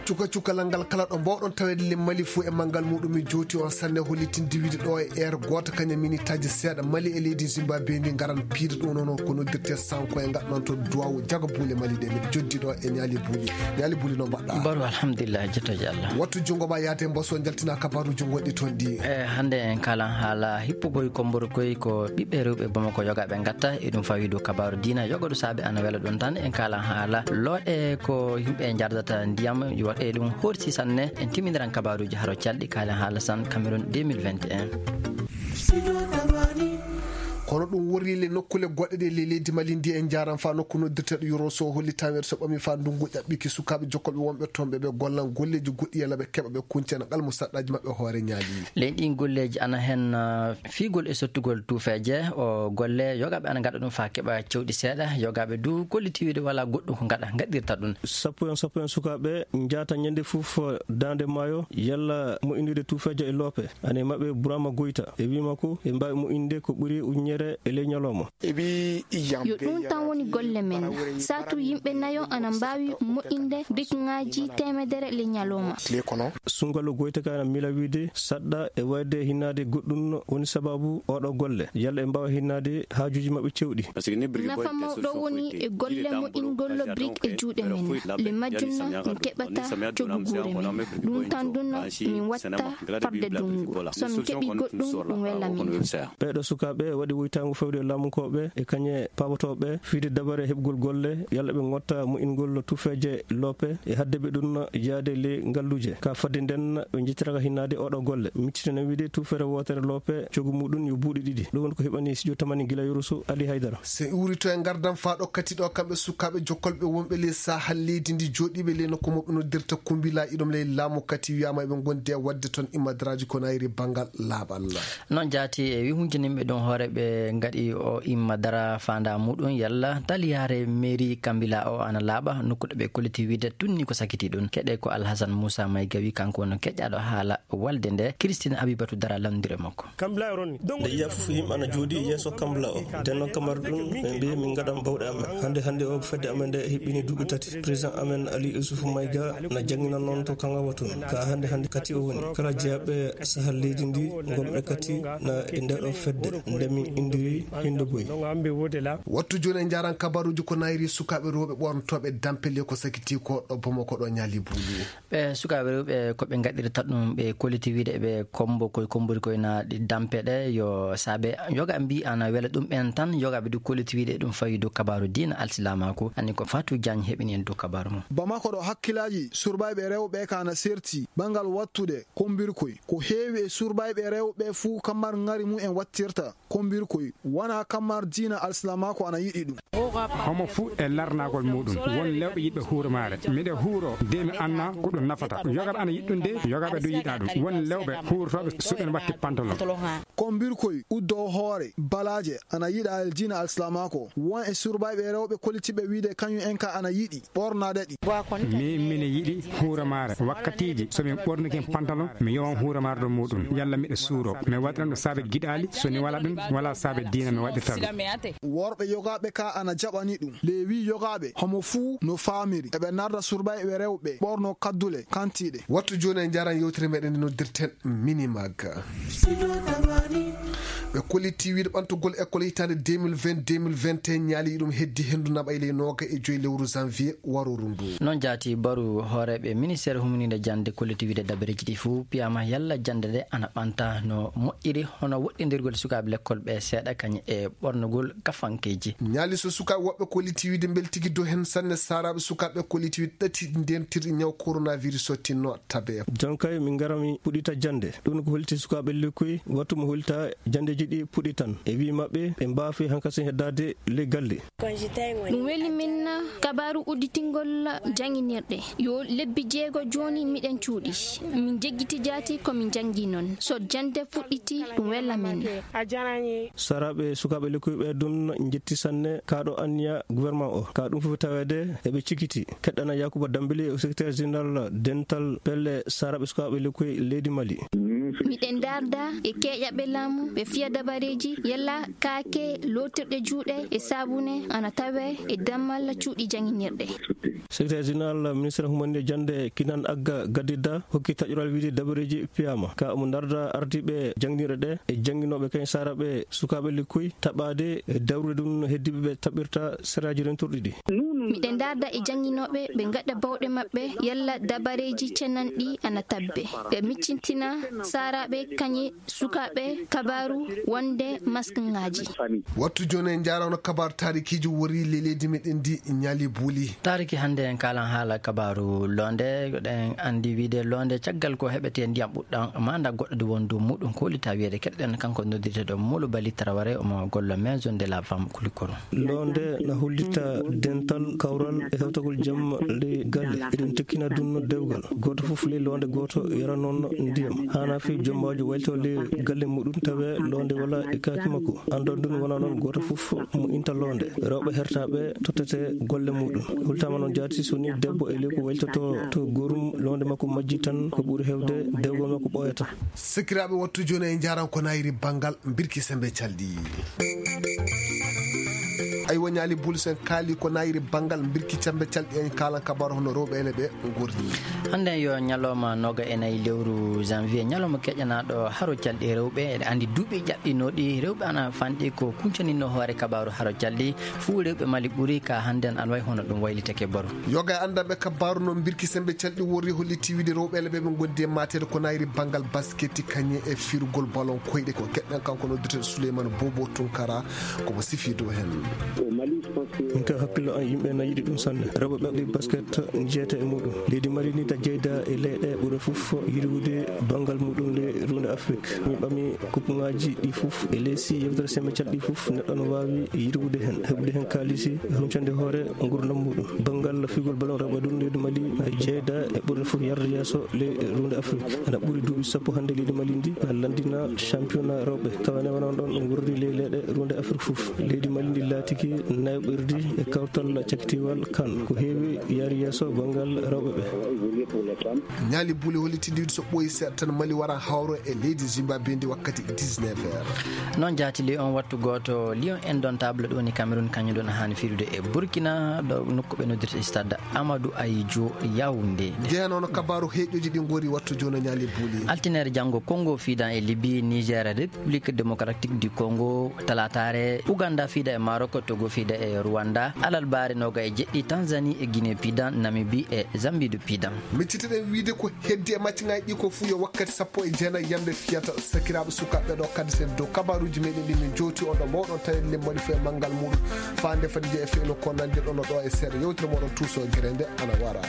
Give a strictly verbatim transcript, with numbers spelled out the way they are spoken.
Cuka cukalal ngal kala ɗo mbawɗon taweede le Mali fuu e manngal muɗum, mi jooti on sanne hollitinde wiide ɗo e heure gooto kañum e minitaaji seeɗa Mali e leydi Zimbabwe ndi ngaran piide ɗum noon ko noddirte sanko e ngaɗ noon to duwawu jaga buule Mali ɗe. Miɗo joddi ɗo e ñaali buuli. Ñaali buuli no mbaɗɗa? Baro alhamdulillah, jettooje Allah. Wattu junngo ma yaade mboso jaltina kabaaruuji gonɗi toon ɗi. E hannde en kaalan haala hippugol kombor koy ko ɓiɓɓe rewɓe Bamako yogaaɓe ngatta e ɗum fawi dow kabaaru diina yogoɗo saabe ana wela ɗum tan. En kaalan haala looɗe ko yimɓe njardata ndiyam yo waɗe ɗum horsi sanne. En timmindiran kabaaruuji haro calɗi kaalen haala san Cameroun deux mille vingt et un. Kono ɗum worri le nokkule goɗɗe ɗe le leydi Mali ndi en njaran fa nokku noddirteɗo Yoro so holli taweede so ɓami fa ndungu ƴaɓɓiki sukaaɓe jokkolɓe wonɓe toon ɓe ɓe gollan golleeji goɗɗi yalla ɓe keɓa ɓe kuncana qalmu saɗɗaaji maɓɓe hoore ñaali. Ley ɗin golleeji ana hen, ah, fiigol e sottugol tuufeeje o golle yogaaɓe ana ngaɗa ɗum fa keɓa cewɗi seeɗa yogaaɓe du kolliti wiide wala goɗɗum ko ngaɗa ngaɗirta ɗum. Sappo en sappo en sukaaɓe njaata ñande fof daande maayo yalla mo inndude tuufeeje e loope. Ane maɓɓe Burama Goyta e wii makko e mbaawi mo innde ko ɓuri uññere e ley ñalawma. Yo ɗum tan woni golle men. Saatu yimɓe nayo ana mbaawi moƴƴinde bikŋaaji teemedere le ñalawma. Sungalu Goyta ka ana mila wiide saɗɗa e wayde hinnaade goɗɗum woni sababu oɗo golle. Yalla e mbaawa hinnaade haajuuji maɓɓe cewɗi. Nafa mawɗo woni e golle moƴƴingol brik e juuɗe men. Le majjum na min keɓata cogu guure men. Ɗum tan ɗum na min watta farde dungu. So min keɓi goɗɗum, ɗum wela min. Ɓeeɗo sukaaɓe waɗi woytaango fewde e laamunkooɓe e kañe paabotooɓe fiide dabare heɓgol golle, yalla ɓe ngotta moƴƴingol tuufeeje loope e hadde ɓe ɗum yaade le ngalluuje. Ka fadde nden ɓe njettiraka hinnaade oɗo golle. Miccitene wiide tuufere wootere loope cogu muɗum yo buuɗi ɗiɗi. Ɗum woni ko heɓani studio tamani gila Yoroso Ali Haydara. Se uurito e ngardam faa ɗo kati ɗo kamɓe sukaaɓe jokkolɓe wonɓe le sahal leydi ndi jooɗiiɓe le nokku mo ɓe noddirta Kumbila iɗum le laamu kati wiyaama eɓe ngondi e waɗde toon immadaraaji ko nayri banngal laaɓal. Noon jaati e wi hunkininɓe ɗum hoore ɓe ngaɗi o imma dara faandaa muɗum yalla taliyaare mairie Kambila o ana laaɓa nokkuɗo ɓe kolliti wiide tunni ko sakiti ɗum. Keɗe ko Alhasan Moussa Maygawi kanko woni keƴƴaaɗo haala walde nde. Christine Abibatu Dara lanndire makko. Nde yiya fof yimɓe ana jooɗi yeeso Kambila o. Ndenno kamar ɗum ɓe mbi min ngaɗan bawɗe amen. Hannde hannde o fedde amen nde heɓɓini duuɓi tati. Président amen Ali Youssouf Mayga na jannginan noon to Kangawa toon. Ka hannde hannde kati o woni. Kala jeyaɓe sahal leydi ndi ngonɓe kati na e nde ɗo fedde nde min indiri Hindo Boy. Wattu jooni en njaran kabaruuji ko nayri sukaaɓe rewɓe ɓornotooɓe dampele ko sakiti ko ɗo Bamako ɗo ñaali buuli. Ɓe sukaaɓe rewɓe ko ɓe ngaɗirta ɗum ɓe kolliti wiide ɓe kombo koye kombori koye na ɗi dampe ɗe yo saabe yoga mbi ana wela ɗum ɓen tan yoga ɓe du kolliti wiide ɗum fawi dow kabaru diina alsilamaaku. Anni ko Fatou Diagne heɓini en dow kabaru mum. Bamako ɗo hakkilaaji surbayɓe rewɓe ka na serti ɓangal wattude kombirkoy ko heewi e surbayɓe rewɓe fuu kamar ngari mum en wattirta kombirkoy wona kamar diina alsilamaaku ana yiɗi ɗum. Homo fuu e larnagol muɗum won lewɓe yiɗɓe huuro maare miɗe huuro de mi anna ko ɗum nafata yogaɓe ana yiɗɗum de yogaɓe du yiɗa ɗum won lewɓe huurotooɓe suɓen watti pantalon. Kombirkoy uddo hoore balaaje ana yiɗa e diina alsilamaaku won e surbayɓe rewɓe kolitiɓe wiide kañum en ka ana yiɗi ɓornaade ɗi. Min mine yiɗi huuro maare wakkatiiji so min ɓornike pantalon mi yowan huuro maare ɗo muɗum yalla miɗo suuro mi waɗiran ɗo saabe giɗaali so ni wala ɗum wala saabe diina mi waɗirta ɗum. Worɓe yogaaɓe ka ana jaɓani ɗum leewi yogaaɓe homo fuu no faamiri eɓe narda surbayɓe rewɓe ɓorno kaddule kantiiɗe. Wattu jooni en njaran yewtere meɗen nde noddirten Minimag. Ɓe koliti wiide ɓantugol école hitaande deux mille vingt deux mille vingt et un ñaali ɗum heddi henndu naɓa e ley nooga e joyi lewru janvier warooru ndu. Noon jaati baru hooreeɓe ministeer humniinde jannde koliti wiide dabareeji ɗi fof piyaama yalla jannde nde ana ɓanta no moƴƴiri hono woɗɗindirgol sukaaɓe lekkol ɓe seeɗa kañum e ɓornugol kafankeeji. Ñaali so sukaaɓe woɓɓe koliti wiide mbeltigi dow heen sanne saaraaɓe sukaaɓe koliti wiide ɗati ndentirɗi ñaw coronavirus o tinno tabe. Jonkay min ngarami puɗɗita jannde ɗum ko holiti sukaaɓe lekkoy wattu mo holita janndeeji ɗi puɗɗitan e wii maɓɓe ɓe mbaafi hankasin heddaade ley galle. Ɗum weli min kabaaru udditingol jannginirɗe yo lebbi jeego jooni miɗen cuuɗi min jeggiti jaati ko min janngi noon so jannde fuɗɗiti ɗum wela min. Saraaɓe sukaaɓe lekkoy ɓe ɗum njetti sanne kaaɗo anniya gouvernement o ka ɗum fof taweede eɓe cikiti keɗɗana Yakuba Dambili o secrétaire général dental pelle saraaɓe sukaaɓe lekkoy leydi Mali. Miɗen ndaarda e keeƴaɓe laamu, ɓe fiya dabareeji, yalla kaake lootirɗe juuɗe e saabune ana tawee e dammal cuuɗi jannginirɗe. Secrétaire général ministre humande jannde, Kinan Agga Gadidda, hokki taƴoral wiyde dabareeji piyaama. Ka omo ndaarda ardiiɓe jannginirɗe ɗe e jannginooɓe kañ saaraaɓe sukaaɓe lekkoy taɓaade e dawrude ɗum no heddiiɓe ɓe taɓirta seraaji rentorɗi ɗi. Miɗen ndaarda e jannginooɓe ɓe ngaɗa bawɗe maɓɓe yalla dabareeji ceenanɗi ana tabbe. Ɓe miccintina saaraaɓe kañe sukaaɓe kabaaru wonde maskŋaaji. Wattu jooni en njaarano kabaaru taarikiijo wori le leydi meɗen ndi ñaali buuli. Taariki hannde en kaalan haala kabaaru loonde. Eɗen anndi wiyde loonde caggal ko heɓetee ndiyam ɓuɗɗam maanda goɗɗo nde woni dow muɗum ko woni ta wiyde keɗoɗen kanko noddirteeɗo Molo Bali Traoré omo golla maison de la femme Kulikoro. Loonde na hollita dental kawral e hewtagol jamma ley galle. Eɗen tekkina ɗum no dewgal. Gooto fof ley loonde gooto yara noon ndiyam. Haana fi jommaajo wayto ley galle muɗum tawe loonde wala e kaaki makko. Anndon ɗum wona noon gooto fof mo inta loonde. Rewɓe hertaaɓe tottete golle muɗum. Hultama noon jaati so ni debbo e ley ko waytoto to gorum loonde makko majji tan ko ɓuri hewde dewgal makko ɓooyata. Sikiraaɓe wattu jooni e njaran ko nayri banngal mbirki sembe calɗi. Aywa ñaali buuli so en kaali ko nayri banngal mbirki sembe calɗi en kaalan kabaru hono rewɓe ene ɓe ngorri. Hannde yo ñalawma nooga e nayi lewru janvier, ñalawma keƴanaaɗo haro calɗi rewɓe. Eɗen anndi duuɓi ƴaɓɓinooɗi rewɓe ana fanɗi ko kuñcaninno hoore kabaaru haro calɗi. Fuu rewɓe Mali ɓuri ka hannde ana wayi hono ɗum waylitake baro. Yoga e anndanɓe kabaaru no mbirki sembe calɗi worri holliti wiyde rewɓe ene ɓe ɓe ngondi e mateede ko nayri banngal basket kañe e firgol ballon koyɗe ko keɗɗen kanko noddirteeɗo Souleymane Bobo Tunkara komo sifi dow heen. Min ka hakkillo an yimɓe na yiɗi ɗum sanne. Rewɓe ɓeɓɗi basket jeeta e muɗum. Leydi Mali ni da jeyda e leyɗe ɓurɗe fof yiɗude banngal muɗum le runde Afrik. Min ɓami kuppuŋaaji ɗi fof e leysi yewtere sembe calɗi fof neɗɗo no waawi yiɗude heen, heɓude heen kaalisi, huncande hoore ngurdam muɗum. Banngal figol ballon rewɓe ɗum leydi Mali na jeyda e ɓurɗe fof yarde yeeso le runde Afrik. Ana ɓuri duuɓi sappo hannde leydi Mali ndi na lanndina championnat rewɓe. Tawane wona on ɗon ɗum wurri ley leyɗe runde Afrik fof. Leydi Mali ndi laatiki nayɓirdi e kawtal cakitiwal kan. Ko heewi yaari yeeso banngal rewɓe ɓe. Ñaali buuli holliti ndiwdi so ɓooyi seeɗa tan Mali wara hawro e leydi Zimbabwe ndi wakkati dix-neuf heures. Noon jaati Lion wattu gooto, Lion Indomptable ɗo woni Cameroun, kañum ɗon haani fiilude e Burkina, ɗo nokku ɓe noddirta stade Amadou Ahidjo Yaoundé. Jeyan ono kabaaru heeƴooji ɗi ngori wattu jooni ñaali buuli. Altinere janngo Congo fiidan e Libye, Niger, République Démocratique du Congo, talaataare Ouganda fiida e Maroc, Togo fiida e Rwanda, alarbaare nooga e jeɗɗi Tanzanie e Guinée piidan, Namibie e Zambie du piidan. Miccitiɗen wiyde ko heddi e maccaŋaaji ɗi ko fuu yo wakkati sappo e jeenayi yamde fiyata. Sakiraaɓe sukaaɓe ɗo kaddeten dow kabaaruuji meɗen ɗi min jowti on ɗo mawɗon tawi limmaɗi fof e manngal muɗum. Faande fadi je e feyno ko nande ɗon ɗo e seeɗa yewtere moɗon tuuso gere nde ana wara.